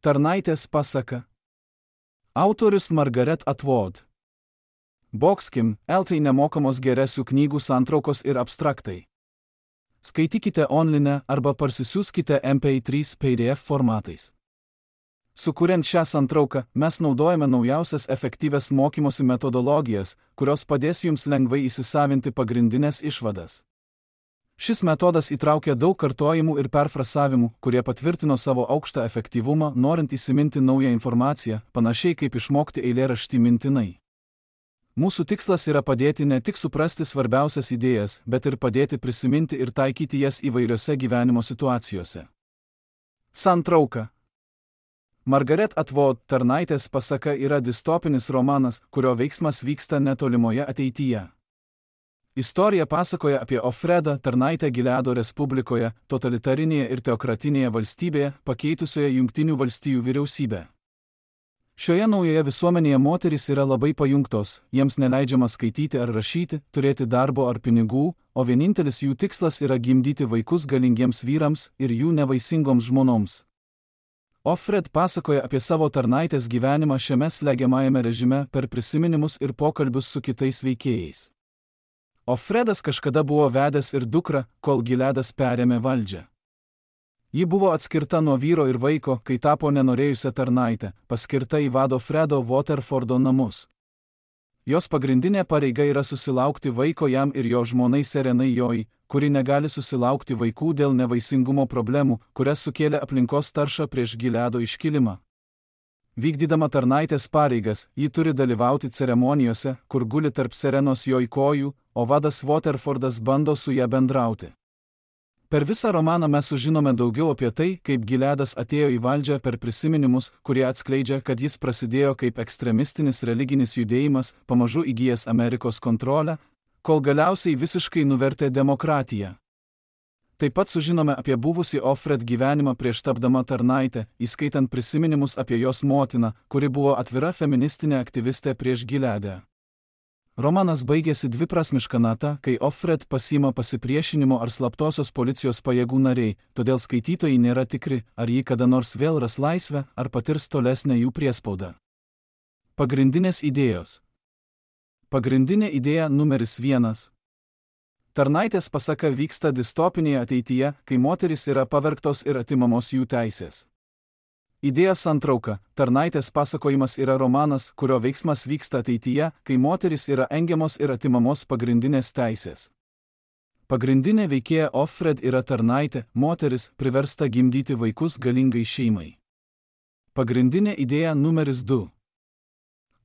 Tarnaitės pasaka. Autorius Margaret Atwood. Boxkim, LT nemokamos geresių knygų santraukos ir abstraktai. Skaitykite online arba parsisiųskite MP3 PDF formatais. Sukuriant šią santrauką, mes naudojame naujausias efektyvias mokymosi metodologijas, kurios padės jums lengvai įsisavinti pagrindinės išvadas. Šis metodas įtraukia daug kartojimų ir perfrasavimų, kurie patvirtino savo aukštą efektyvumą, norint įsiminti naują informaciją, panašiai kaip išmokti eilėraštį mintinai. Mūsų tikslas yra padėti ne tik suprasti svarbiausias idėjas, bet ir padėti prisiminti ir taikyti jas įvairiose gyvenimo situacijose. Santrauka. Margaret Atwood Tarnaitės pasaka yra distopinis romanas, kurio veiksmas vyksta netolimoje ateityje. Istorija pasakoja apie Ofredą Tarnaitę Gileado Respublikoje, totalitarinėje ir teokratinėje valstybėje, pakeitusioje Jungtinių valstijų vyriausybę. Šioje naujoje visuomenėje moterys yra labai pajungtos, jiems neleidžiama skaityti ar rašyti, turėti darbo ar pinigų, o vienintelis jų tikslas yra gimdyti vaikus galingiems vyrams ir jų nevaisingoms žmonoms. Ofred pasakoja apie savo tarnaitės gyvenimą šiame slegiamajame režime per prisiminimus ir pokalbius su kitais veikėjais. Ofredas kažkada buvo vedęs ir dukrą, kol Gileadas perėmė valdžią. Ji buvo atskirta nuo vyro ir vaiko, kai tapo nenorėjusią tarnaitę, paskirta į vado Fredo Waterfordo namus. Jos pagrindinė pareiga yra susilaukti vaiko jam ir jo žmonai Serenai Joy, kuri negali susilaukti vaikų dėl nevaisingumo problemų, kurias sukėlė aplinkos tarša prieš Gileado iškilimą. Vykdydama tarnaitės pareigas, ji turi dalyvauti ceremonijose, kur guli tarp Serenos Joy kojų, o vadas Waterfordas bando su ją bendrauti. Per visą romaną mes sužinome daugiau apie tai, kaip Gileadas atėjo į valdžią per prisiminimus, kurie atskleidžia, kad jis prasidėjo kaip ekstremistinis religinis judėjimas, pamažu įgijęs Amerikos kontrolę, kol galiausiai visiškai nuvertė demokratiją. Taip pat sužinome apie buvusį Ofred gyvenimą prieš tapdama tarnaitę, įskaitant prisiminimus apie jos motiną, kuri buvo atvira feministinė aktyvistė prieš Gileadą. Romanas baigėsi dviprasmiška nata, kai Ofred pasiima pasipriešinimo ar slaptosios policijos pajėgų nariai, todėl skaitytojai nėra tikri, ar ji kada nors vėl ras laisvę, ar patirs tolesnę jų priespaudą. Pagrindinės idėjos. Pagrindinė idėja numeris 1. Tarnaitės pasaka vyksta distopinėje ateityje, kai moterys yra pavergtos ir atimamos jų teisės. Idėja santrauka. Tarnaitės pasakojimas yra romanas, kurio veiksmas vyksta ateityje, kai moterys yra engiamos ir atimamos pagrindinės teisės. Pagrindinė veikėja Ofred yra tarnaitė, moteris, priversta gimdyti vaikus galingai šeimai. Pagrindinė idėja numeris 2.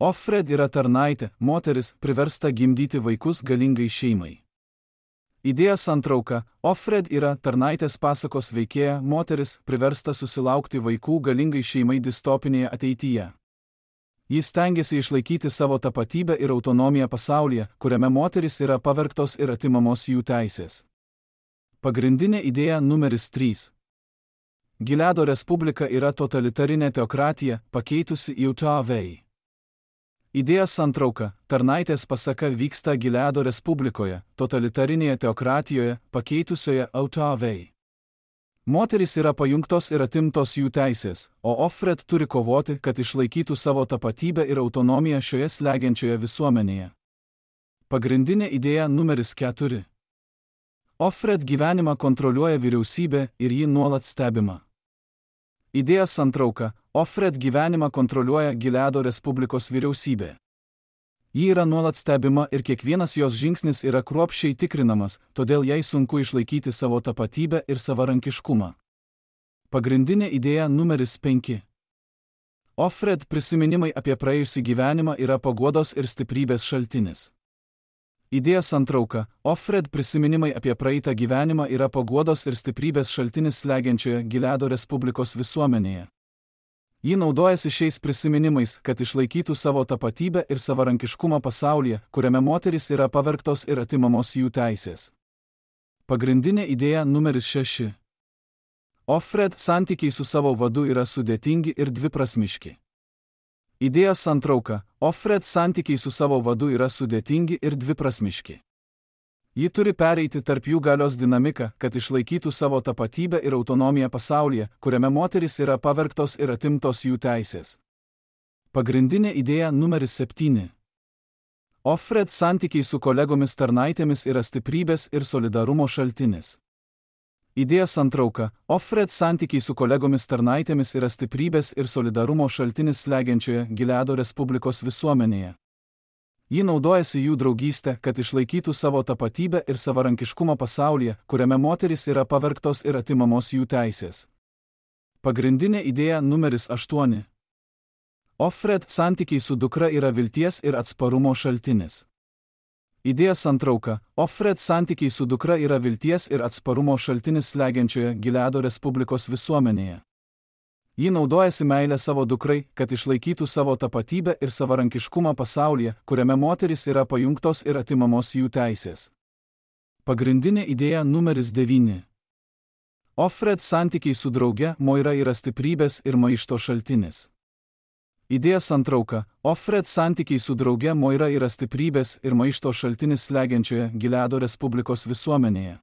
Ofred yra tarnaitė, moteris, priversta gimdyti vaikus galingai šeimai. Idėja santrauka. Ofred yra tarnaitės pasakos veikėja, moteris, priversta susilaukti vaikų galingai šeimai distopinėje ateityje. Jis stengiasi išlaikyti savo tapatybę ir autonomiją pasaulyje, kuriame moterys yra pavergtos ir atimamos jų teisės. Pagrindinė idėja numeris 3. Gileado Respublika yra totalitarinė teokratija, pakeitusi Utah Valley. Idėja santrauka. Tarnaitės pasaka vyksta Gileado Respublikoje, totalitarinėje teokratijoje, pakeitusioje Utah Valley. Moterys yra pajungtos ir atimtos jų teisės, o Ofred turi kovoti, kad išlaikytų savo tapatybę ir autonomiją šioje slegiančioje visuomenėje. Pagrindinė idėja numeris 4. Ofred gyvenimą kontroliuoja vyriausybė ir ji nuolat stebima. Idėja santrauka. Ofred gyvenimą kontroliuoja Gileado Respublikos vyriausybė. Ji yra nuolat stebima ir kiekvienas jos žingsnis yra kruopščiai tikrinamas, todėl jai sunku išlaikyti savo tapatybę ir savarankiškumą. Pagrindinė idėja numeris 5. Ofred prisiminimai apie praėjusį gyvenimą yra paguodos ir stiprybės šaltinis. Idėja santrauka. Ofred prisiminimai apie praeitą gyvenimą yra paguodos ir stiprybės šaltinis slegiančioje Gileado Respublikos visuomenėje. Ji naudojasi šiais prisiminimais, kad išlaikytų savo tapatybę ir savarankiškumą pasaulyje, kuriame moterys yra pavergtos ir atimamos jų teisės. Pagrindinė idėja numeris 6. Ofred santykiai su savo vadu yra sudėtingi ir dviprasmiški. Idėja santrauka. Ofred santykiai su savo vadu yra sudėtingi ir dviprasmiški. Ji turi pereiti tarp jų galios dinamiką, kad išlaikytų savo tapatybę ir autonomiją pasaulyje, kuriame moterys yra pavergtos ir atimtos jų teisės. Pagrindinė idėja numeris 7. Ofred santykiai su kolegomis tarnaitėmis yra stiprybės ir solidarumo šaltinis. Idėja santrauka. Ofred santykiai su kolegomis tarnaitėmis yra stiprybės ir solidarumo šaltinis slegiančioje Gileado Respublikos visuomenėje. Ji naudojasi jų draugystę, kad išlaikytų savo tapatybę ir savarankiškumą pasaulyje, kuriame moterys yra pavergtos ir atimamos jų teisės. Pagrindinė idėja numeris 8. Ofred santykiai su dukra yra vilties ir atsparumo šaltinis. Idėja santrauka. Ofred santykiai su dukra yra vilties ir atsparumo šaltinis slegiančioje Gileado Respublikos visuomenėje. Ji naudojasi meilę savo dukrai, kad išlaikytų savo tapatybę ir savarankiškumą pasaulyje, kuriame moterys yra pajungtos ir atimamos jų teisės. Pagrindinė idėja numeris 9. Ofred santykiai su drauge Moira yra stiprybės ir maišto šaltinis. Idėja santrauka. Ofred santykiai su drauge Moira yra stiprybės ir maišto šaltinis slegiančioje Gileado Respublikos visuomenėje.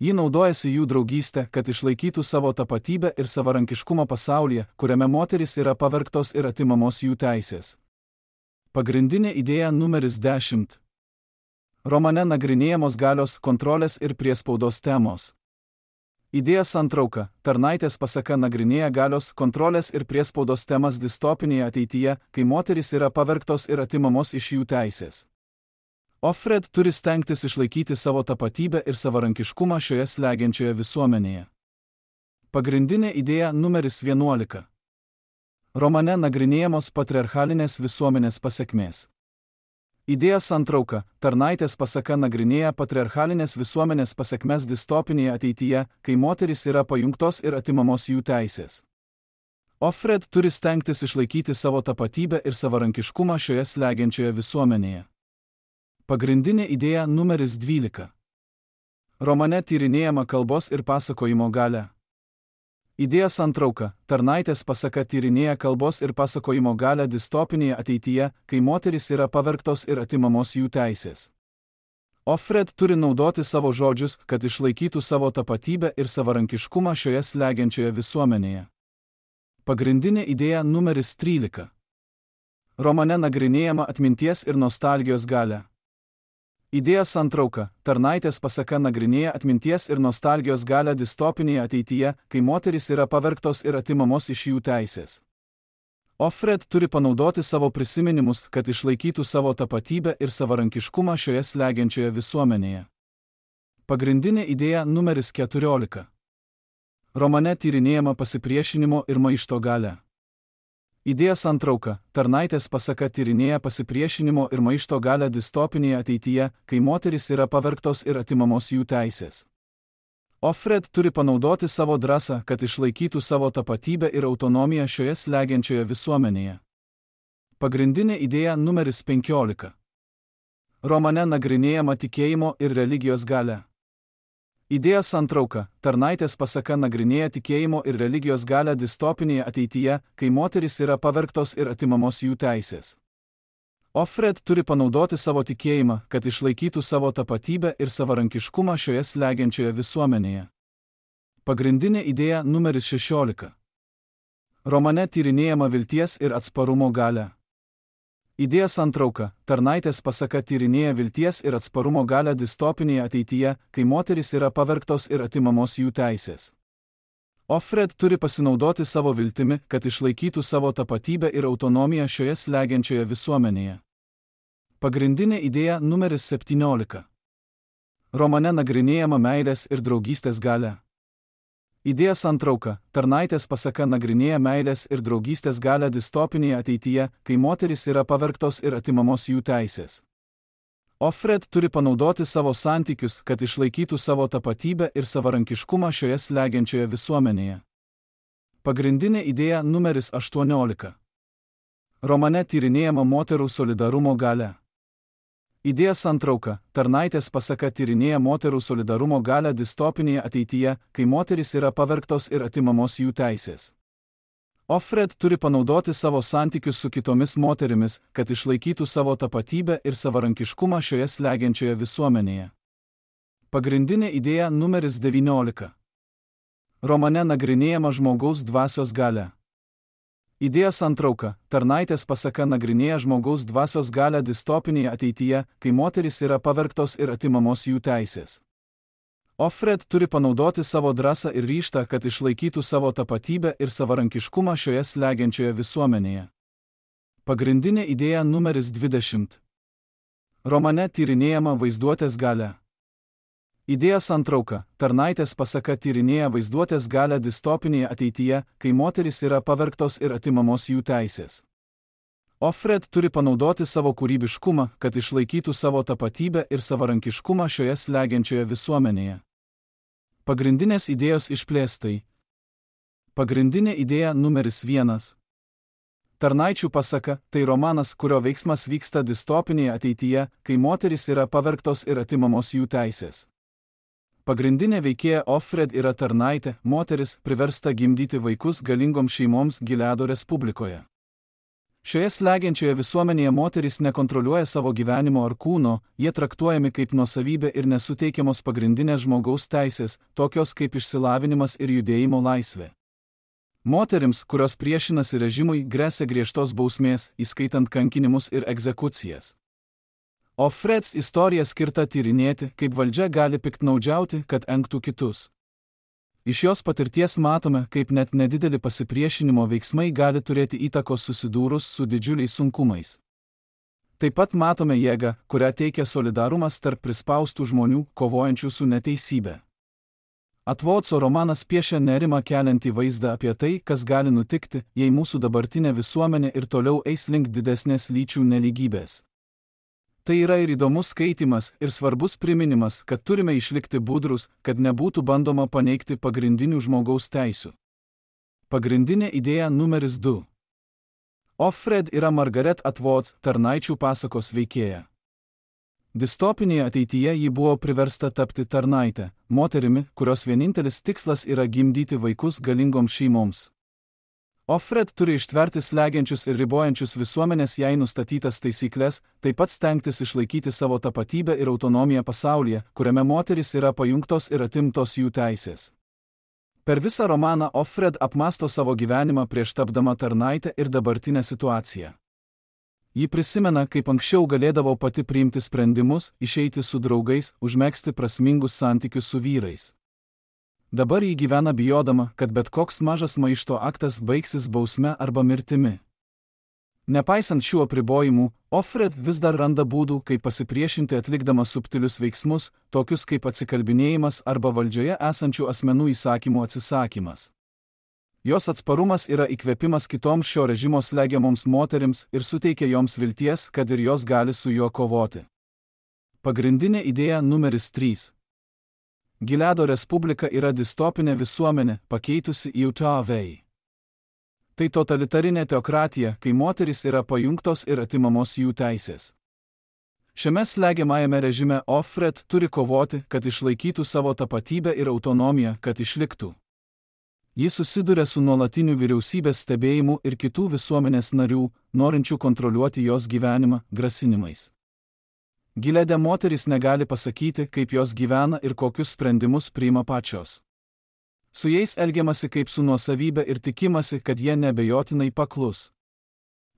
Ji naudojasi jų draugystę, kad išlaikytų savo tapatybę ir savarankiškumą pasaulyje, kuriame moterys yra pavergtos ir atimamos jų teisės. Pagrindinė idėja numeris 10. Romane nagrinėjamos galios, kontrolės ir priespaudos temos. Idėja santrauka. Tarnaitės pasaka nagrinėja galios, kontrolės ir priespaudos temas distopinėje ateityje, kai moterys yra pavergtos ir atimamos iš jų teisės. Ofred turi stengtis išlaikyti savo tapatybę ir savarankiškumą šioje slegiančioje visuomenėje. Pagrindinė idėja numeris 11. Romane nagrinėjamos patriarchalinės visuomenės pasekmės. Idėja santrauka. Tarnaitės pasaka nagrinėja patriarchalinės visuomenės pasekmes distopinėje ateityje, kai moterys yra pajungtos ir atimamos jų teisės. Ofred turi stengtis išlaikyti savo tapatybę ir savarankiškumą šioje slegiančioje visuomenėje. Pagrindinė idėja numeris 12. Romane tyrinėjama kalbos ir pasakojimo galia. Idėja santrauka. Tarnaitės pasaka tyrinėja kalbos ir pasakojimo galią distopinėje ateityje, kai moterys yra pavergtos ir atimamos jų teisės. Ofred turi naudoti savo žodžius, kad išlaikytų savo tapatybę ir savarankiškumą šioje slegiančioje visuomenėje. Pagrindinė idėja numeris 13. Romane nagrinėjama atminties ir nostalgijos galia. Idėja santrauka. Tarnaitės pasaka nagrinėja atminties ir nostalgijos galią distopinėje ateityje, kai moterys yra pavergtos ir atimamos iš jų teisės. Ofred turi panaudoti savo prisiminimus, kad išlaikytų savo tapatybę ir savarankiškumą šioje slegiančioje visuomenėje. Pagrindinė idėja numeris 14. Romane tyrinėjama pasipriešinimo ir maišto galia. Idėja santrauka. Tarnaitės pasaka tyrinėja pasipriešinimo ir maišto galią distopinėje ateityje, kai moterys yra pavergtos ir atimamos jų teisės. Ofred turi panaudoti savo drąsą, kad išlaikytų savo tapatybę ir autonomiją šioje slegiančioje visuomenėje. Pagrindinė idėja numeris 15. Romane nagrinėjama tikėjimo ir religijos galia. Idėja santrauka. Tarnaitės pasaka nagrinėja tikėjimo ir religijos galią distopinėje ateityje, kai moterys yra pavergtos ir atimamos jų teisės. Ofred turi panaudoti savo tikėjimą, kad išlaikytų savo tapatybę ir savarankiškumą šioje slegiančioje visuomenėje. Pagrindinė idėja numeris 16. Romane tyrinėjama vilties ir atsparumo galia. Idėja santrauka. Tarnaitės pasaka tyrinėja vilties ir atsparumo galią distopinėje ateityje, kai moterys yra pavergtos ir atimamos jų teisės. Ofred turi pasinaudoti savo viltimi, kad išlaikytų savo tapatybę ir autonomiją šioje slegiančioje visuomenėje. Pagrindinė idėja numeris 17. Romane nagrinėjama meilės ir draugystės galia. Idėja santrauka. Tarnaitės pasaka nagrinėja meilės ir draugystės galią distopinėje ateityje, kai moterys yra pavergtos ir atimamos jų teisės. Ofred turi panaudoti savo santykius, kad išlaikytų savo tapatybę ir savarankiškumą šioje slegiančioje visuomenėje. Pagrindinė idėja numeris 18. Romane tyrinėjama moterų solidarumo galia. Idėja santrauka. Tarnaitės pasaka tyrinėja moterų solidarumo galią distopinėje ateityje, kai moterys yra pavergtos ir atimamos jų teisės. Ofred turi panaudoti savo santykius su kitomis moterimis, kad išlaikytų savo tapatybę ir savarankiškumą šioje slegiančioje visuomenėje. Pagrindinė idėja numeris 19. Romane nagrinėjama žmogaus dvasios galia. Idėjos santrauka. Tarnaitės pasaka nagrinėja žmogaus dvasios galią distopinėje ateityje, kai moterys yra pavergtos ir atimamos jų teisės. Offred turi panaudoti savo drąsą ir ryžtą, kad išlaikytų savo tapatybę ir savarankiškumą šioje slegiančioje visuomenėje. Pagrindinė idėja numeris 20. Romane tyrinėjama vaizduotės galia. Idėjos santrauka. Tarnaitės pasaka tyrinėja vaizduotės galią distopinėje ateityje, kai moterys yra pavergtos ir atimamos jų teisės. Offred turi panaudoti savo kūrybiškumą, kad išlaikytų savo tapatybę ir savarankiškumą šioje slegiančioje visuomenėje. Pagrindinės idėjos išplėstai. Pagrindinė idėja numeris 1. Tarnaičių pasaka – tai romanas, kurio veiksmas vyksta distopinėje ateityje, kai moterys yra pavergtos ir atimamos jų teisės. Pagrindinė veikėja Offred yra tarnaitė, moteris, priversta gimdyti vaikus galingoms šeimoms Gileado Respublikoje. Šioje slegiančioje visuomenėje moterys nekontroliuoja savo gyvenimo ar kūno, jie traktuojami kaip nuosavybė ir nesuteikiamos pagrindinės žmogaus teisės, tokios kaip išsilavinimas ir judėjimo laisvė. Moterims, kurios priešinasi režimui, gresia griežtos bausmės, įskaitant kankinimus ir egzekucijas. Offreds istorija skirta tyrinėti, kaip valdžia gali piktnaudžiauti, kad engtų kitus. Iš jos patirties matome, kaip net nedideli pasipriešinimo veiksmai gali turėti įtakos susidūrus su didžiuliais sunkumais. Taip pat matome jėgą, kurią teikia solidarumas tarp prispaustų žmonių, kovojančių su neteisybė. Atvodso romanas piešia nerimą keliantį vaizdą apie tai, kas gali nutikti, jei mūsų dabartinė visuomenė ir toliau eis link didesnės lyčių nelygybės. Tai yra ir įdomus skaitimas, ir svarbus priminimas, kad turime išlikti budrus, kad nebūtų bandoma paneigti pagrindinių žmogaus teisių. Pagrindinė idėja numeris 2. Offred yra Margaret Atwood, tarnaičių pasakos veikėja. Distopinėje ateityje ji buvo priversta tapti tarnaite, moterimi, kurios vienintelis tikslas yra gimdyti vaikus galingoms šeimoms. Offred turi ištverti slegiančius ir ribojančius visuomenės jai nustatytas taisyklės, taip pat stengtis išlaikyti savo tapatybę ir autonomiją pasaulyje, kuriame moterys yra pajungtos ir atimtos jų teisės. Per visą romaną Offred apmąsto savo gyvenimą prieš tapdama tarnaitę ir dabartinę situaciją. Ji prisimena, kaip anksčiau galėdavo pati priimti sprendimus, išeiti su draugais, užmegzti prasmingus santykius su vyrais. Dabar ji gyvena bijodama, kad bet koks mažas maišto aktas baigsis bausme arba mirtimi. Nepaisant šių apribojimų, Offred vis dar randa būdų, kaip pasipriešinti atlikdama subtilius veiksmus, tokius kaip atsikalbinėjimas arba valdžioje esančių asmenų įsakymų atsisakymas. Jos atsparumas yra įkvėpimas kitoms šio režimo slegiamoms moterims ir suteikia joms vilties, kad ir jos gali su juo kovoti. Pagrindinė idėja numeris 3. Gileado Respublika yra distopinė visuomenė, pakeitusi į Utah-Vei. Tai totalitarinė teokratija, kai moterys yra pajungtos ir atimamos jų teisės. Šiame slegiamajame režime Offred turi kovoti, kad išlaikytų savo tapatybę ir autonomiją, kad išliktų. Ji susiduria su nuolatiniu vyriausybės stebėjimu ir kitų visuomenės narių, norinčių kontroliuoti jos gyvenimą, grasinimais. Gileade moterys negali pasakyti, kaip jos gyvena ir kokius sprendimus priima pačios. Su jais elgiamasi kaip su nuosavybė ir tikimasi, kad jie neabejotinai paklus.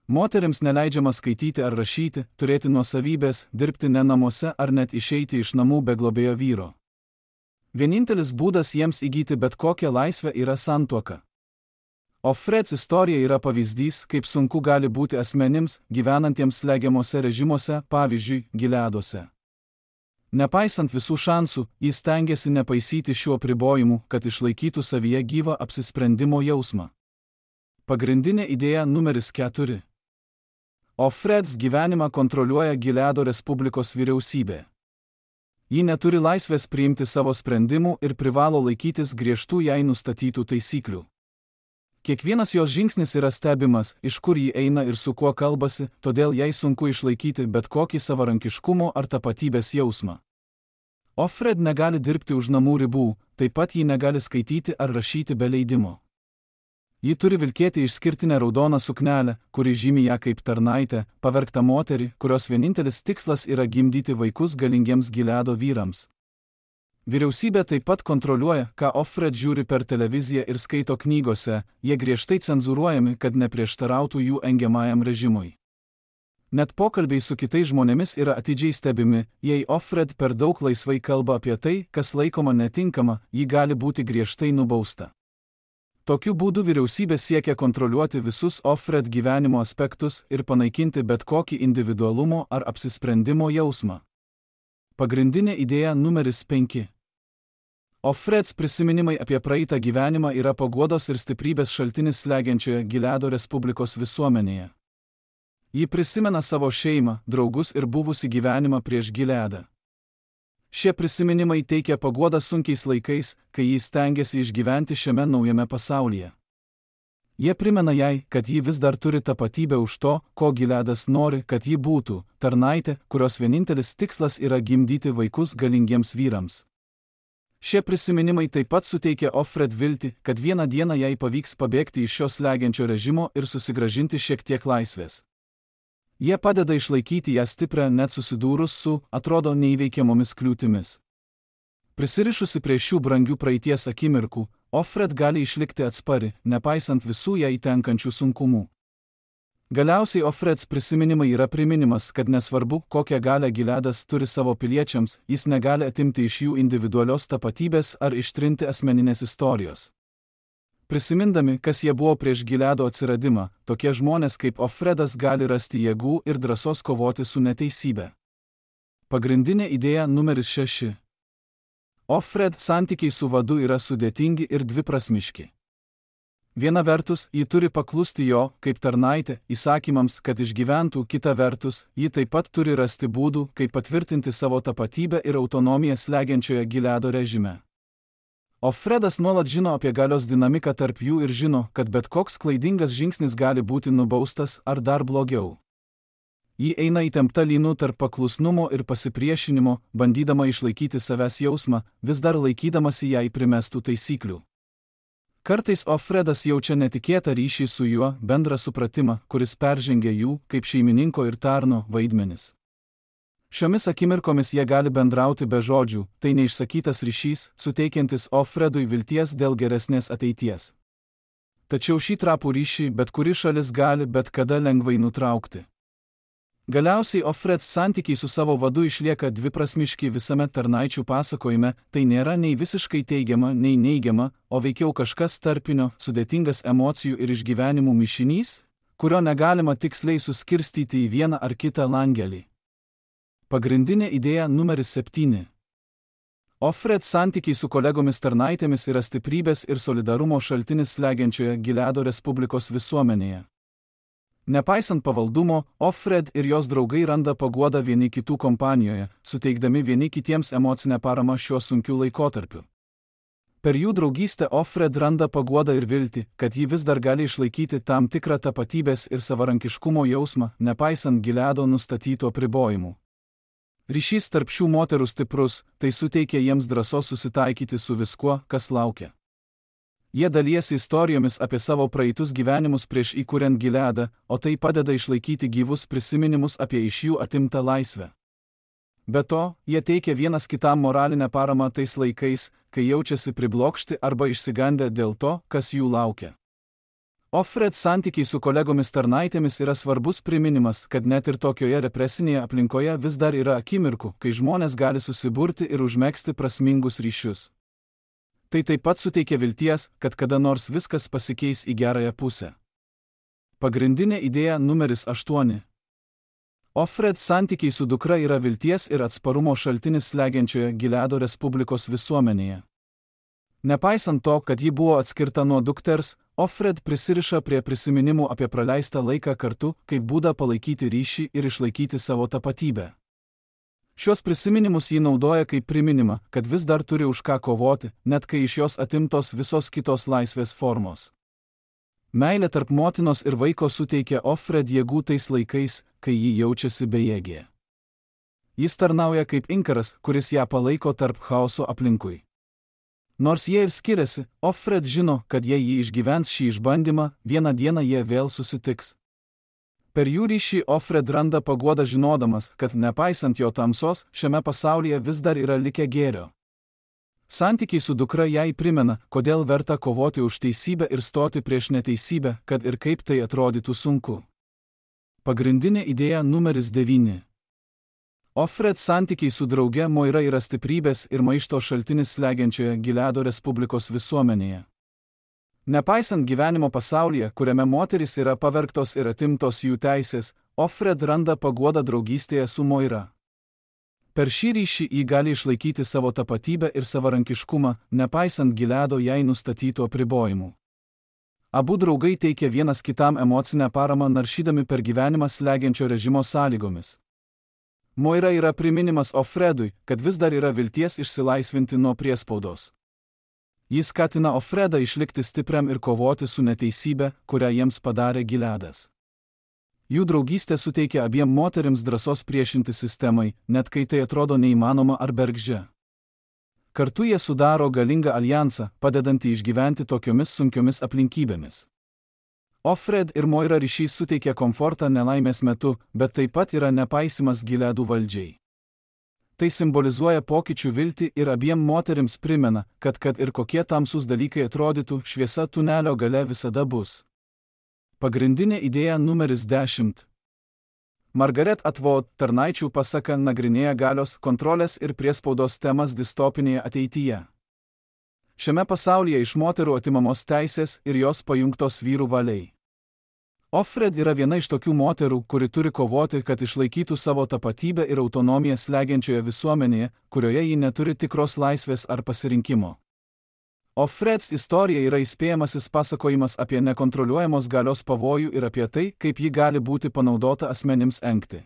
Moterims neleidžiama skaityti ar rašyti, turėti nuosavybės, dirbti ne namuose ar net išeiti iš namų be globėjo vyro. Vienintelis būdas jiems įgyti bet kokią laisvę yra santuoka. Offreds istorija yra pavyzdys, kaip sunku gali būti asmenims, gyvenantiems slegiamuose režimuose, pavyzdžiui, Gileaduose. Nepaisant visų šansų, jis stengiasi nepaisyti šių apribojimų, kad išlaikytų savyje gyvą apsisprendimo jausmą. Pagrindinė idėja numeris 4. Offreds gyvenimą kontroliuoja Gileado Respublikos vyriausybė. Ji neturi laisvės priimti savo sprendimų ir privalo laikytis griežtų jai nustatytų taisyklių. Kiekvienas jos žingsnis yra stebimas, iš kur ji eina ir su kuo kalbasi, todėl jai sunku išlaikyti bet kokį savarankiškumo ar tapatybės jausmą. Offred negali dirbti už namų ribų, taip pat ji negali skaityti ar rašyti be leidimo. Ji turi vilkėti išskirtinę raudoną suknelę, kuri žymi ją kaip tarnaitę, pavergtą moterį, kurios vienintelis tikslas yra gimdyti vaikus galingiems Gileado vyrams. Vyriausybė taip pat kontroliuoja, ką Offred žiūri per televiziją ir skaito knygose, jie griežtai cenzūruojami, kad neprieštarautų jų engiamajam režimui. Net pokalbiai su kitais žmonėmis yra atidžiai stebimi, jei Offred per daug laisvai kalba apie tai, kas laikoma netinkama, ji gali būti griežtai nubausta. Tokiu būdu vyriausybė siekia kontroliuoti visus Offred gyvenimo aspektus ir panaikinti bet kokį individualumo ar apsisprendimo jausmą. Pagrindinė idėja numeris 5. Offreds prisiminimai apie praeitą gyvenimą yra paguodos ir stiprybės šaltinis slegiančioje Gileado Respublikos visuomenėje. Ji prisimena savo šeimą, draugus ir buvusį gyvenimą prieš Gileadą. Šie prisiminimai teikia paguodą sunkiais laikais, kai ji stengiasi išgyventi šiame naujame pasaulyje. Jie primena jai, kad ji vis dar turi tapatybę už to, ko Gileadas nori, kad ji būtų – tarnaitė, kurios vienintelis tikslas yra gimdyti vaikus galingiems vyrams. Šie prisiminimai taip pat suteikia Offred viltį, kad vieną dieną jai pavyks pabėgti iš šio slegiančio režimo ir susigrąžinti šiek tiek laisvės. Jie padeda išlaikyti ją stiprią net susidūrus su, atrodo, neįveikiamomis kliūtimis. Prisirišusi prie šių brangių praeities akimirkų, Offred gali išlikti atspari, nepaisant visų jai tenkančių sunkumų. Galiausiai Offreds prisiminimai yra priminimas, kad nesvarbu, kokią galią Gileadas turi savo piliečiams, jis negali atimti iš jų individualios tapatybės ar ištrinti asmeninės istorijos. Prisimindami, kas jie buvo prieš Gileado atsiradimą, tokie žmonės kaip Offredas gali rasti jėgų ir drąsos kovoti su neteisybe. Pagrindinė idėja numeris 6. Offred santykiai su vadu yra sudėtingi ir dviprasmiški. Viena vertus, ji turi paklusti jo, kaip tarnaitė, įsakymams, kad išgyventų, kita vertus, ji taip pat turi rasti būdų, kaip patvirtinti savo tapatybę ir autonomiją slegiančioje Gileado režime. Offredas nuolat žino apie galios dinamiką tarp jų ir žino, kad bet koks klaidingas žingsnis gali būti nubaustas ar dar blogiau. Ji eina įtempta lynu tarp paklusnumo ir pasipriešinimo, bandydama išlaikyti savęs jausmą, vis dar laikydamasi jai primestų taisyklių. Kartais Offredas jaučia netikėtą ryšį su juo, bendrą supratimą, kuris peržengia jų, kaip šeimininko ir tarno, vaidmenis. Šiomis akimirkomis jie gali bendrauti be žodžių, tai neišsakytas ryšys, suteikiantis Offredui vilties dėl geresnės ateities. Tačiau šį trapų ryšį bet kuri šalis gali bet kada lengvai nutraukti. Galiausiai Offreds santykiai su savo vadu išlieka dviprasmiški visame tarnaičių pasakojime, tai nėra nei visiškai teigiama, nei neigiama, o veikiau kažkas tarpinio, sudėtingas emocijų ir išgyvenimų mišinys, kurio negalima tiksliai suskirstyti į vieną ar kitą langelį. Pagrindinė idėja numeris 7. Offred santykiai su kolegomis tarnaitėmis yra stiprybės ir solidarumo šaltinis slegiančioje Gileado Respublikos visuomenėje. Nepaisant pavaldumo, Offred ir jos draugai randa paguodą vieni kitų kompanijoje, suteikdami vieni kitiems emocinę paramą šiuo sunkiu laikotarpiu. Per jų draugystę Offred randa paguodą ir viltį, kad ji vis dar gali išlaikyti tam tikrą tapatybės ir savarankiškumo jausmą, nepaisant Gileado nustatytų apribojimų. Ryšys tarp šių moterų stiprus, tai suteikia jiems drąsos susitaikyti su viskuo, kas laukia. Jie dalijasi istorijomis apie savo praeitus gyvenimus prieš įkuriant Gileadą, o tai padeda išlaikyti gyvus prisiminimus apie iš jų atimtą laisvę. Be to, jie teikia vienas kitam moralinę paramą tais laikais, kai jaučiasi priblokšti arba išsigandę dėl to, kas jų laukia. Offred santykiai su kolegomis tarnaitėmis yra svarbus priminimas, kad net ir tokioje represinėje aplinkoje vis dar yra akimirkų, kai žmonės gali susiburti ir užmegzti prasmingus ryšius. Tai taip pat suteikia vilties, kad kada nors viskas pasikeis į gerąją pusę. Pagrindinė idėja numeris 8. Offred santykiai su dukra yra vilties ir atsparumo šaltinis slegiančioje Gileado Respublikos visuomenėje. Nepaisant to, kad ji buvo atskirta nuo dukters, Offred prisiriša prie prisiminimų apie praleistą laiką kartu, kaip būdą palaikyti ryšį ir išlaikyti savo tapatybę. Šios prisiminimus ji naudoja kaip priminimą, kad vis dar turi už ką kovoti, net kai iš jos atimtos visos kitos laisvės formos. Meilė tarp motinos ir vaiko suteikia Offred jėgų tais laikais, kai ji jaučiasi bejėgė. Jis tarnauja kaip inkaras, kuris ją palaiko tarp chaoso aplinkui. Nors jie ir skiriasi, Offred žino, kad jei ji išgyvens šį išbandymą, vieną dieną jie vėl susitiks. Per jų ryšį Offred randa paguodą žinodamas, kad nepaisant jo tamsos, šiame pasaulyje vis dar yra likę gėrio. Santykiai su dukra jai primena, kodėl verta kovoti už teisybę ir stoti prieš neteisybę, kad ir kaip tai atrodytų sunku. Pagrindinė idėja numeris 9. Ofred santykiai su drauge Moira yra stiprybės ir maišto šaltinis slegiančioje Gileado Respublikos visuomenėje. Nepaisant gyvenimo pasaulyje, kuriame moterys yra pavergtos ir atimtos jų teisės, Ofred randa paguodą draugystėje su Moira. Per šį ryšį ji gali išlaikyti savo tapatybę ir savarankiškumą, nepaisant Gileado jai nustatytų apribojimų. Abu draugai teikia vienas kitam emocinę paramą naršydami per gyvenimą slegiančio režimo sąlygomis. Moira yra priminimas Ofredui, kad vis dar yra vilties išsilaisvinti nuo priespaudos. Jis skatina Ofredą išlikti stipriam ir kovoti su neteisybė, kurią jiems padarė Gileadas. Jų draugystė suteikia abiem moterims drąsos priešinti sistemai, net kai tai atrodo neįmanoma ar bergždžia. Kartu jie sudaro galingą aljansą, padedantį išgyventi tokiomis sunkiomis aplinkybėmis. Ofred ir Moira ryšys suteikia komfortą nelaimės metu, bet taip pat yra nepaisimas Gileadų valdžiai. Tai simbolizuoja pokyčių viltį ir abiem moterims primena, kad ir kokie tamsūs dalykai atrodytų, šviesa tunelio gale visada bus. Pagrindinė idėja numeris 10. Margaret Atwood tarnaičių pasaka nagrinėja galios, kontrolės ir priespaudos temas distopinėje ateityje. Šiame pasaulyje iš moterų atimamos teisės ir jos pajungtos vyrų valiai. Ofred yra viena iš tokių moterų, kuri turi kovoti, kad išlaikytų savo tapatybę ir autonomiją slegiančioje visuomenėje, kurioje ji neturi tikros laisvės ar pasirinkimo. Ofreds istorija yra įspėjamasis pasakojimas apie nekontroliuojamos galios pavojų ir apie tai, kaip ji gali būti panaudota asmenims engti.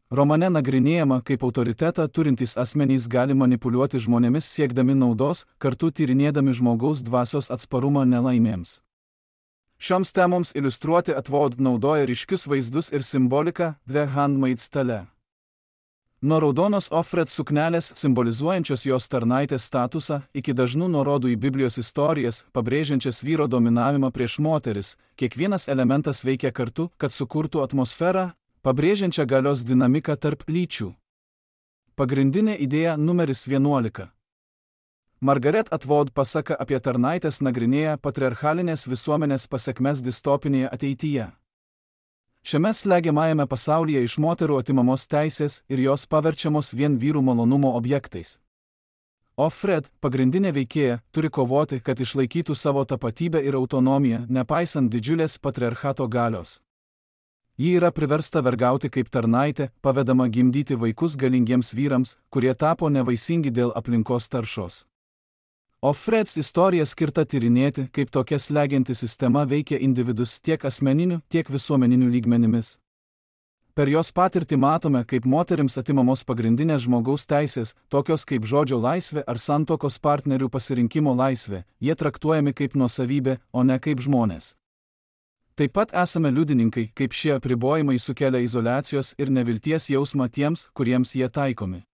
Romane nagrinėjama, kaip autoritetą turintys asmenys gali manipuliuoti žmonėmis siekdami naudos, kartu tyrinėdami žmogaus dvasios atsparumą nelaimėms. Šioms temoms iliustruoti Atwood naudoja ryškius vaizdus ir simboliką The Handmaid's Tale. Nuo raudonos Ofred suknelės simbolizuojančios jos tarnaitės statusą iki dažnų nuorodų į Biblijos istorijas, pabrėžiančias vyro dominavimą prieš moteris, kiekvienas elementas veikia kartu, kad sukurtų atmosferą, pabrėžiančią galios dinamiką tarp lyčių. Pagrindinė idėja numeris 11. Margaret Atwood pasaka apie tarnaitės nagrinėja patriarchalinės visuomenės pasekmes distopinėje ateityje. Šiame slegiamajame pasaulyje iš moterų atimamos teisės ir jos paverčiamos vien vyrų malonumo objektais. Ofred, pagrindinė veikėja, turi kovoti, kad išlaikytų savo tapatybę ir autonomiją, nepaisant didžiulės patriarchato galios. Ji yra priversta vergauti kaip tarnaitė, pavedama gimdyti vaikus galingiems vyrams, kurie tapo nevaisingi dėl aplinkos taršos. Ofreds istorija skirta tyrinėti, kaip tokia slegianti sistema veikia individus tiek asmeniniu, tiek visuomeniniu lygmenimis. Per jos patirtį matome, kaip moterims atimamos pagrindinės žmogaus teisės, tokios kaip žodžio laisvė ar santuokos partnerių pasirinkimo laisvė, jie traktuojami kaip nuosavybė, o ne kaip žmonės. Taip pat esame liudininkai, kaip šie apribojimai sukelia izoliacijos ir nevilties jausmą tiems, kuriems jie taikomi.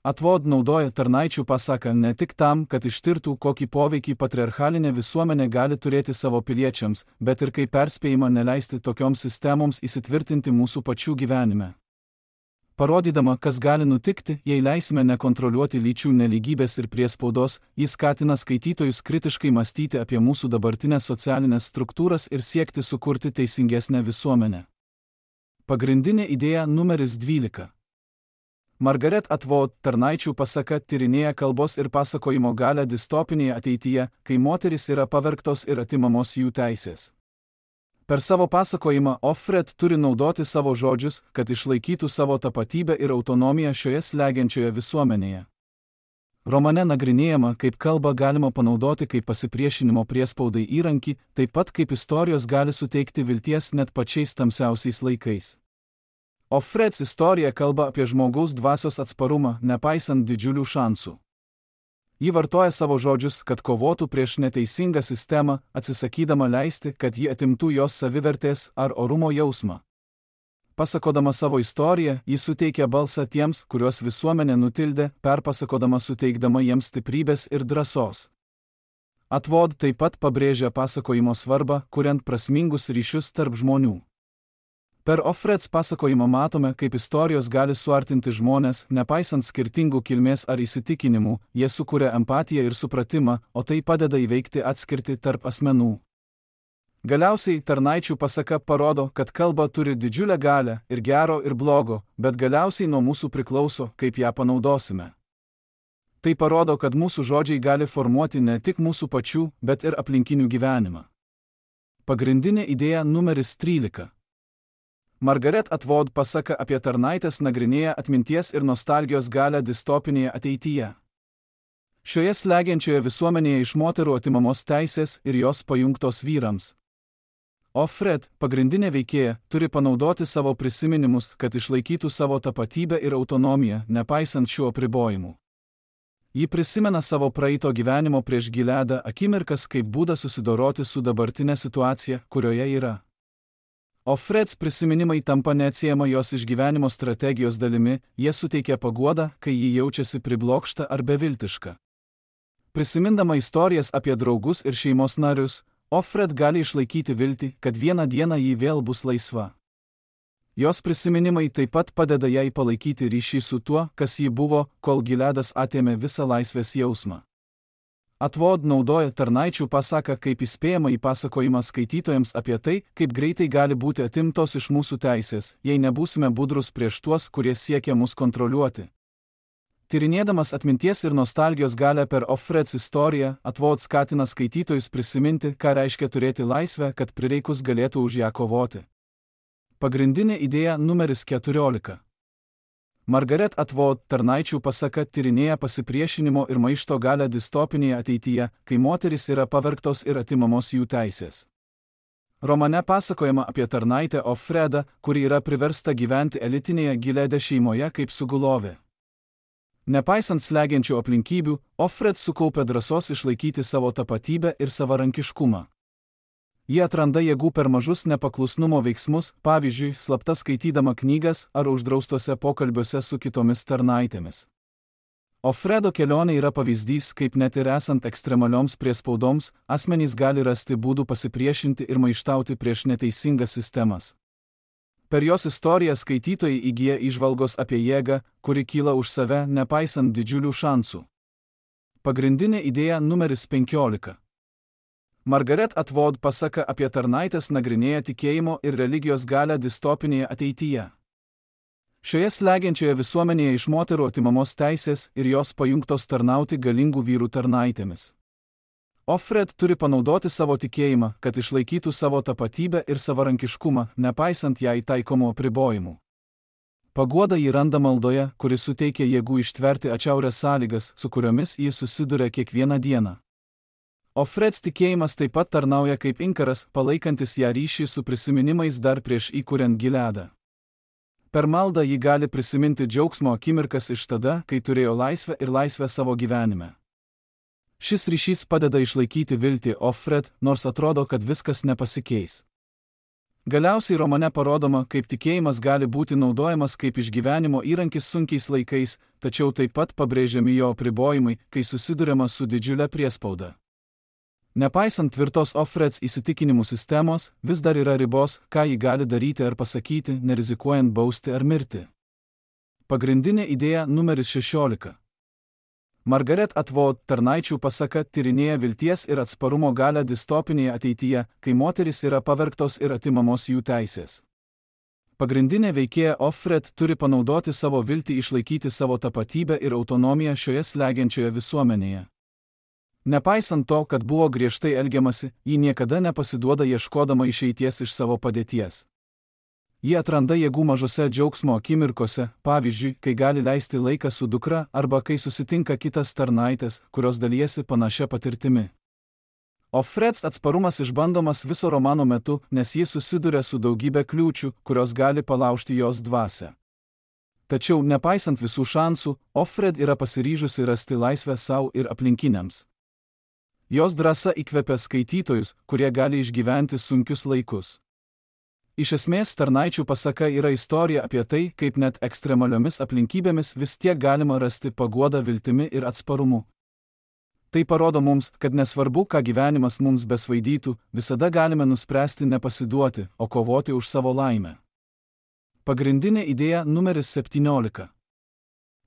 Atwood naudoja tarnaičių pasaką ne tik tam, kad ištirtų, kokį poveikį patriarchalinė visuomenė gali turėti savo piliečiams, bet ir kaip perspėjimą neleisti tokioms sistemoms įsitvirtinti mūsų pačių gyvenime. Parodydama, kas gali nutikti, jei leisime nekontroliuoti lyčių nelygybės ir priespaudos, jis skatina skaitytojus kritiškai mąstyti apie mūsų dabartinės socialinės struktūras ir siekti sukurti teisingesnę visuomenę. Pagrindinė idėja numeris 12. Margaret Atwood tarnaičių pasaka tyrinėja kalbos ir pasakojimo galią distopinėje ateityje, kai moterys yra pavergtos ir atimamos jų teisės. Per savo pasakojimą Ofred turi naudoti savo žodžius, kad išlaikytų savo tapatybę ir autonomiją šioje slegiančioje visuomenėje. Romane nagrinėjama, kaip kalbą galima panaudoti kaip pasipriešinimo priespaudai įrankį, taip pat kaip istorijos gali suteikti vilties net pačiais tamsiausiais laikais. Ofreds istorija kalba apie žmogaus dvasios atsparumą, nepaisant didžiulių šansų. Ji vartoja savo žodžius, kad kovotų prieš neteisingą sistemą, atsisakydama leisti, kad ji atimtų jos savivertės ar orumo jausmą. Pasakodama savo istoriją, ji suteikia balsą tiems, kuriuos visuomenė nutildė, perpasakodama suteikdama jiems stiprybės ir drąsos. Atwood taip pat pabrėžia pasakojimo svarbą, kuriant prasmingus ryšius tarp žmonių. Per Ofreds pasakojimą matome, kaip istorijos gali suartinti žmonės, nepaisant skirtingų kilmės ar įsitikinimų, jie sukuria empatiją ir supratimą, o tai padeda įveikti atskirtį tarp asmenų. Galiausiai tarnaičių pasaka parodo, kad kalba turi didžiulę galią ir gero ir blogo, bet galiausiai nuo mūsų priklauso, kaip ją panaudosime. Tai parodo, kad mūsų žodžiai gali formuoti ne tik mūsų pačių, bet ir aplinkinių gyvenimą. Pagrindinė idėja numeris 13. Margaret Atwood pasaka apie tarnaitės nagrinėja atminties ir nostalgijos galią distopinėje ateityje. Šioje slegiančioje visuomenėje iš moterų atimamos teisės ir jos pajungtos vyrams. Offred, pagrindinė veikėja, turi panaudoti savo prisiminimus, kad išlaikytų savo tapatybę ir autonomiją, nepaisant šių apribojimų. Ji prisimena savo praeito gyvenimo prieš Gileadą akimirkas kaip būdą susidoroti su dabartinė situacija, kurioje yra. Offreds prisiminimai tampa neatsiejama jos išgyvenimo strategijos dalimi, jie suteikia paguodą, kai ji jaučiasi priblokšta ar beviltiška. Prisimindama istorijas apie draugus ir šeimos narius, Offred gali išlaikyti viltį, kad vieną dieną ji vėl bus laisva. Jos prisiminimai taip pat padeda jai palaikyti ryšį su tuo, kas ji buvo, kol Gileadas atėmė visą laisvės jausmą. Atwood naudoja tarnaičių pasaką kaip įspėjamąjį pasakojimą skaitytojams apie tai, kaip greitai gali būti atimtos iš mūsų teisės, jei nebūsime budrus prieš tuos, kurie siekia mus kontroliuoti. Tyrinėdamas atminties ir nostalgijos galią per Offreds istoriją, Atwood skatina skaitytojus prisiminti, ką reiškia turėti laisvę, kad prireikus galėtų už ją kovoti. Pagrindinė idėja numeris 14. Margaret Atwood tarnaičių pasaka tyrinėja pasipriešinimo ir maišto galią distopinėje ateityje, kai moterys yra pavergtos ir atimamos jų teisės. Romane pasakojama apie tarnaitę Offredą, kuri yra priversta gyventi elitinėje Gileade šeimoje kaip sugulovė. Nepaisant slegiančių aplinkybių, Offred sukaupia drąsos išlaikyti savo tapatybę ir savarankiškumą. Ji atranda jėgų per mažus nepaklusnumo veiksmus, pavyzdžiui, slapta skaitydama knygas ar uždraustuose pokalbiuose su kitomis tarnaitėmis. Offredo kelionė yra pavyzdys, kaip net ir esant ekstremalioms priespaudoms, asmenys gali rasti būdų pasipriešinti ir maištauti prieš neteisingas sistemas. Per jos istoriją skaitytojai įgyja įžvalgos apie jėgą, kuri kyla už save, nepaisant didžiulių šansų. Pagrindinė idėja numeris 15. Margaret Atwood pasaka apie tarnaitės nagrinėja tikėjimo ir religijos galią distopinėje ateityje. Šioje slegiančioje visuomenėje iš moterų atimamos teisės ir jos pajungtos tarnauti galingų vyrų tarnaitėmis. Offred turi panaudoti savo tikėjimą, kad išlaikytų savo tapatybę ir savarankiškumą, nepaisant jai taikomų apribojimų. Paguoda jį randa maldoje, kuri suteikia jėgų ištverti atšiaurias sąlygas, su kuriomis jis susiduria kiekvieną dieną. Offreds tikėjimas taip pat tarnauja kaip inkaras, palaikantis ją ryšį su prisiminimais dar prieš įkuriant Gileadą. Per maldą ji gali prisiminti džiaugsmo akimirkas iš tada, kai turėjo laisvę ir laisvę savo gyvenime. Šis ryšys padeda išlaikyti viltį Offred, nors atrodo, kad viskas nepasikeis. Galiausiai romane parodoma, kaip tikėjimas gali būti naudojamas kaip išgyvenimo įrankis sunkiais laikais, tačiau taip pat pabrėžiami jo apribojimai, kai susiduriama su didžiulė priespauda. Nepaisant tvirtos Offreds įsitikinimų sistemos, vis dar yra ribos, ką ji gali daryti ar pasakyti, nerizikuojant bausti ar mirti. Pagrindinė idėja numeris 16. Margaret Atwood tarnaičių pasaka tyrinėja vilties ir atsparumo galią distopinėje ateityje, kai moterys yra pavergtos ir atimamos jų teisės. Pagrindinė veikėja Offred turi panaudoti savo viltį išlaikyti savo tapatybę ir autonomiją šioje slegiančioje visuomenėje. Nepaisant to, kad buvo griežtai elgiamasi, ji niekada nepasiduoda ieškodama išeities iš savo padėties. Ji atranda jėgų mažose džiaugsmo akimirkose, pavyzdžiui, kai gali leisti laiką su dukra arba kai susitinka kitas tarnaitės, kurios dalijasi panašia patirtimi. Offreds atsparumas išbandomas viso romano metu, nes ji susiduria su daugybė kliūčių, kurios gali palaužti jos dvasią. Tačiau, nepaisant visų šansų, Offred yra pasiryžusi rasti laisvę savo ir aplinkiniams. Jos drąsa įkvepia skaitytojus, kurie gali išgyventi sunkius laikus. Iš esmės, tarnaičių pasaka yra istorija apie tai, kaip net ekstremaliomis aplinkybėmis vis tiek galima rasti paguodą viltimi ir atsparumu. Tai parodo mums, kad nesvarbu, ką gyvenimas mums besvaidytų, visada galime nuspręsti nepasiduoti, o kovoti už savo laimę. Pagrindinė idėja numeris 17.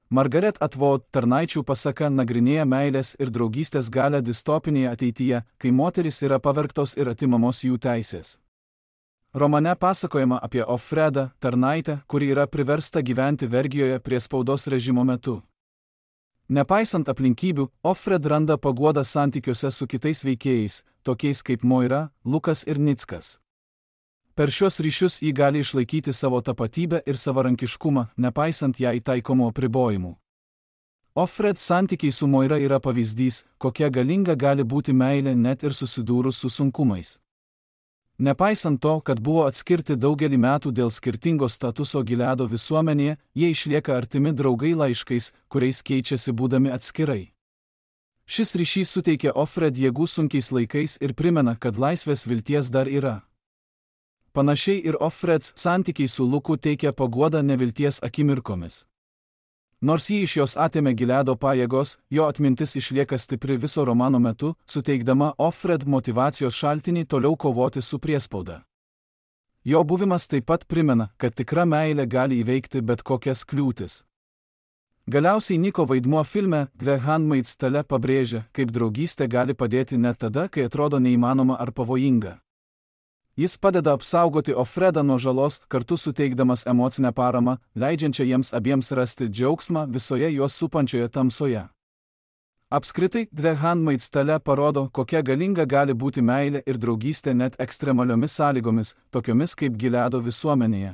Margaret Atwood tarnaičių pasaka nagrinėja meilės ir draugystės galią distopinėje ateityje, kai moterys yra pavergtos ir atimamos jų teisės. Romane pasakojama apie Offredą, tarnaitę, kuri yra priversta gyventi vergijoje priespaudos režimo metu. Nepaisant aplinkybių, Offred randa paguodą santykiuose su kitais veikėjais, tokiais kaip Moira, Lukas ir Nickas. Per šios ryšius ji gali išlaikyti savo tapatybę ir savarankiškumą, nepaisant jai taikomų apribojimų. Offred santykiai su Moira yra pavyzdys, kokia galinga gali būti meilė net ir susidūrus su sunkumais. Nepaisant to, kad buvo atskirti daugelį metų dėl skirtingo statuso Gileado visuomenėje, jie išlieka artimi draugai laiškais, kuriais keičiasi būdami atskirai. Šis ryšys suteikia Offred jėgų sunkiais laikais ir primena, kad laisvės vilties dar yra. Panašiai ir Offreds santykiai su Luku teikia paguodą nevilties akimirkomis. Nors jį iš jos atėmė Gileado pajėgos, jo atmintis išlieka stipri viso romano metu, suteikdama Offred motyvacijos šaltinį toliau kovoti su priespauda. Jo buvimas taip pat primena, kad tikra meilė gali įveikti bet kokias kliūtis. Galiausiai Niko vaidmuo filme The Handmaid's Tale pabrėžia, kaip draugystė gali padėti net tada, kai atrodo neįmanoma ar pavojinga. Jis padeda apsaugoti Offredą nuo žalos, kartu suteikdamas emocinę paramą, leidžiančią jiems abiems rasti džiaugsmą visoje juos supančioje tamsoje. Apskritai, The Handmaid's Tale parodo, kokia galinga gali būti meilė ir draugystė net ekstremaliomis sąlygomis, tokiomis kaip Gileado visuomenėje.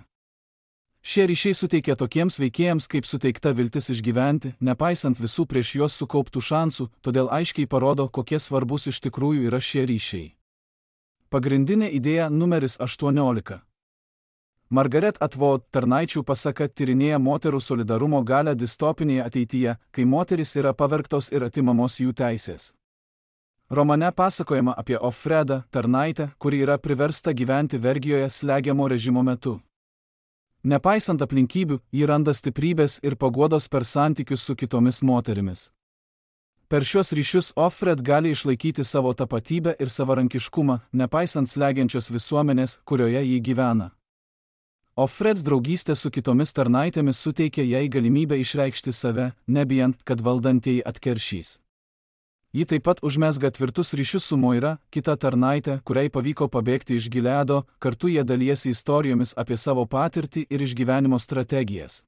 Šie ryšiai suteikia tokiems veikėjams kaip suteikta viltis išgyventi, nepaisant visų prieš juos sukauptų šansų, todėl aiškiai parodo, kokie svarbus iš tikrųjų yra šie ryšiai. Pagrindinė idėja numeris 18. Margaret Atwood tarnaičių pasaka tyrinėja moterų solidarumo galią distopinėje ateityje, kai moterys yra pavergtos ir atimamos jų teisės. Romane pasakojama apie Offredą, tarnaitę, kuri yra priversta gyventi vergijoje slegiamo režimo metu. Nepaisant aplinkybių, ji randa stiprybės ir paguodos per santykius su kitomis moterimis. Per šios ryšius Offred gali išlaikyti savo tapatybę ir savarankiškumą, nepaisant slegiančios visuomenės, kurioje ji gyvena. Offreds draugystė su kitomis tarnaitėmis suteikia jai galimybę išreikšti save, nebijant, kad valdantieji atkeršys. Ji taip pat užmezga tvirtus ryšius su Moira, kita tarnaitė, kuriai pavyko pabėgti iš Gileado, kartu jie dalijasi istorijomis apie savo patirtį ir išgyvenimo strategijas.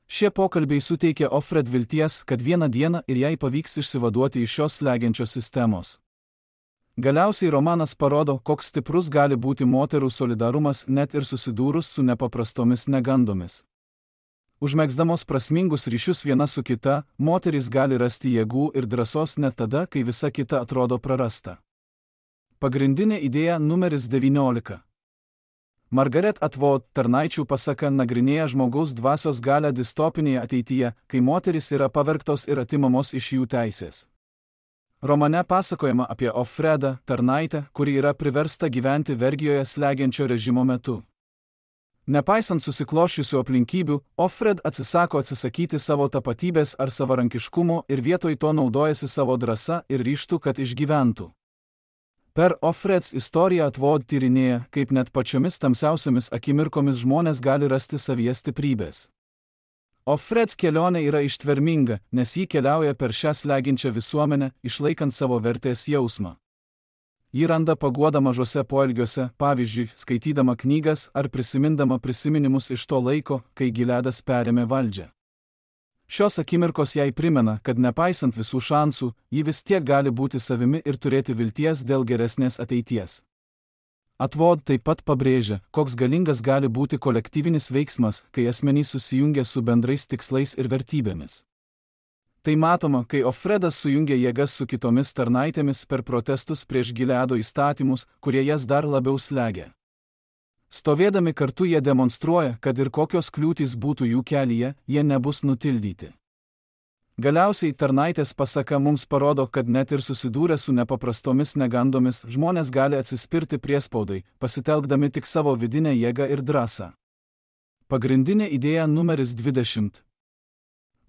Šie pokalbiai suteikia Offred vilties, kad vieną dieną ir jai pavyks išsivaduoti iš šios slegiančios sistemos. Galiausiai romanas parodo, koks stiprus gali būti moterų solidarumas net ir susidūrus su nepaprastomis negandomis. Užmegzdamos prasmingus ryšius viena su kita, moterys gali rasti jėgų ir drąsos net tada, kai visa kita atrodo prarasta. Pagrindinė idėja numeris 19. Margaret Atwood tarnaičių pasaka nagrinėja žmogaus dvasios galią distopinėje ateityje, kai moterys yra pavergtos ir atimamos iš jų teisės. Romane pasakojama apie Offredą, tarnaitę, kuri yra priversta gyventi vergijoje slegiančio režimo metu. Nepaisant susikloščiusių aplinkybių, Offred atsisakyti savo tapatybės ar savarankiškumo ir vietoj to naudojasi savo drąsa ir ryžtu, kad išgyventų. Per Offreds istoriją Atwood tyrinėja, kaip net pačiomis tamsiausiomis akimirkomis žmonės gali rasti savyje stiprybės. Offreds kelionė yra ištverminga, nes ji keliauja per šią slegiančią visuomenę, išlaikant savo vertės jausmą. Ji randa paguodą mažose poelgiuose, pavyzdžiui, skaitydama knygas ar prisimindama prisiminimus iš to laiko, kai Gileadas perėmė valdžią. Šios akimirkos jai primena, kad nepaisant visų šansų, ji vis tiek gali būti savimi ir turėti vilties dėl geresnės ateities. Atwood taip pat pabrėžia, koks galingas gali būti kolektyvinis veiksmas, kai asmenys susijungia su bendrais tikslais ir vertybėmis. Tai matoma, kai Offredas sujungia jėgas su kitomis tarnaitėmis per protestus prieš Gileado įstatymus, kurie jas dar labiau slegia. Stovėdami kartu jie demonstruoja, kad ir kokios kliūtys būtų jų kelyje, jie nebus nutildyti. Galiausiai tarnaitės pasaka mums parodo, kad net ir susidūrę su nepaprastomis negandomis, žmonės gali atsispirti priespaudai, pasitelkdami tik savo vidinę jėgą ir drąsą. Pagrindinė idėja numeris 20.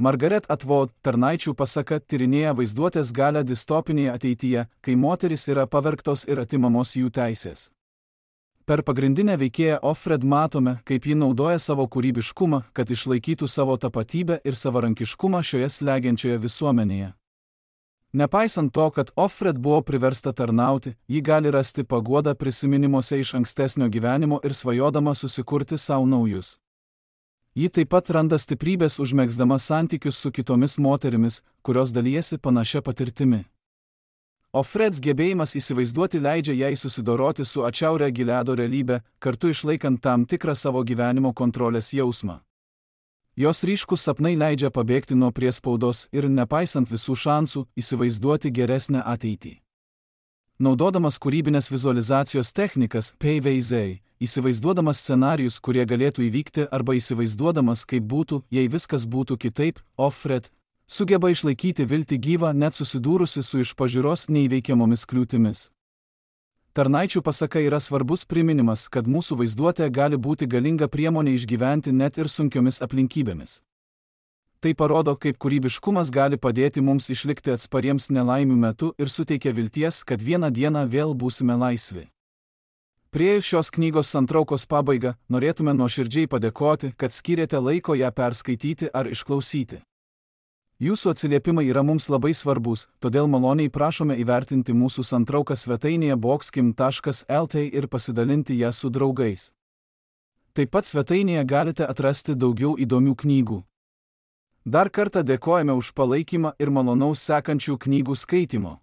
Margaret Atwood tarnaičių pasaka tyrinėja vaizduotės galią distopinėje ateityje, kai moterys yra pavergtos ir atimamos jų teisės. Per pagrindinę veikėją Offred matome, kaip ji naudoja savo kūrybiškumą, kad išlaikytų savo tapatybę ir savarankiškumą šioje slegiančioje visuomenėje. Nepaisant to, kad Offred buvo priversta tarnauti, ji gali rasti paguodą prisiminimuose iš ankstesnio gyvenimo ir svajodama susikurti savo naujus. Ji taip pat randa stiprybės užmegzdama santykius su kitomis moterimis, kurios dalijasi panašia patirtimi. Offreds gebėjimas įsivaizduoti leidžia jai susidoroti su atšiauria Gileado realybė, kartu išlaikant tam tikrą savo gyvenimo kontrolės jausmą. Jos ryškus sapnai leidžia pabėgti nuo priespaudos ir, nepaisant visų šansų, įsivaizduoti geresnę ateitį. Naudodamas kūrybinės vizualizacijos technikas, PVZ, įsivaizduodamas scenarijus, kurie galėtų įvykti, arba įsivaizduodamas, kaip būtų, jei viskas būtų kitaip, Offred sugeba išlaikyti viltį gyvą net susidūrusi su iš pažiūros neįveikiamomis kliūtimis. Tarnaičių pasaka yra svarbus priminimas, kad mūsų vaizduotė gali būti galinga priemonė išgyventi net ir sunkiomis aplinkybėmis. Tai parodo, kaip kūrybiškumas gali padėti mums išlikti atspariems nelaimių metu ir suteikia vilties, kad vieną dieną vėl būsime laisvi. Priėjus šios knygos santraukos pabaigą, norėtume nuoširdžiai padėkoti, kad skyrėte laiko ją perskaityti ar išklausyti. Jūsų atsiliepimai yra mums labai svarbus, todėl maloniai prašome įvertinti mūsų santrauką svetainėje boxkim.lt ir pasidalinti ją su draugais. Taip pat svetainėje galite atrasti daugiau įdomių knygų. Dar kartą dėkojame už palaikymą ir malonaus sekančių knygų skaitimo.